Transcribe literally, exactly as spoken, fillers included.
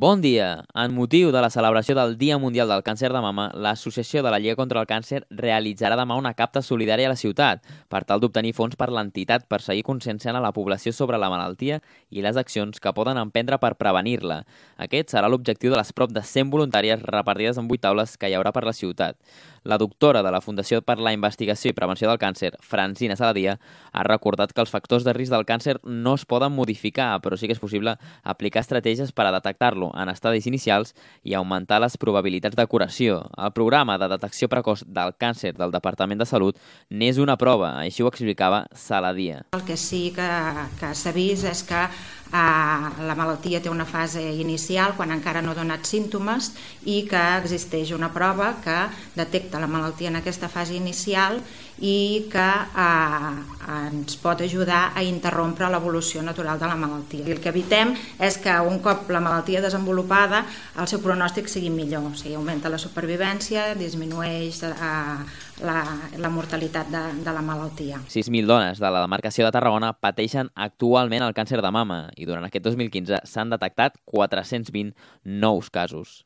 Bon dia! En motiu de la celebració del Dia Mundial del Càncer de Mama, l'Associació de la Lliga contra el Càncer realitzarà demà una capta solidària a la ciutat per tal d'obtenir fons per l'entitat per seguir conscienciant a la població sobre la malaltia i les accions que poden emprendre per prevenir-la. Aquest serà l'objectiu de les prop de cent voluntàries repartides en vuit taules que hi haurà per la ciutat. La doctora de la Fundació per la Investigació i Prevenció del Càncer, Francina Saladia, ha recordat que els factors de risc del càncer no es poden modificar, però sí que és possible aplicar estratègies per a detectar-lo en estadis inicials i augmentar les probabilitats de curació. El programa de detecció precoç del càncer del Departament de Salut n'és una prova, així ho explicava Saladia. El que sí que, que s'ha vist és que eh, la malaltia té una fase inicial quan encara no ha donat símptomes i que existeix una prova que detecta la malaltia en aquesta fase inicial i que eh, ens pot ajudar a interrompre l'evolució natural de la malaltia. I el que evitem és que un cop la malaltia desenvolupada el seu pronòstic sigui millor, o sigui, augmenta la supervivència, disminueix eh, la, la mortalitat de, de la malaltia. sis mil dones de la demarcació de Tarragona pateixen actualment el càncer de mama i durant aquest dos mil quinze s'han detectat quatre-cents vint nous casos.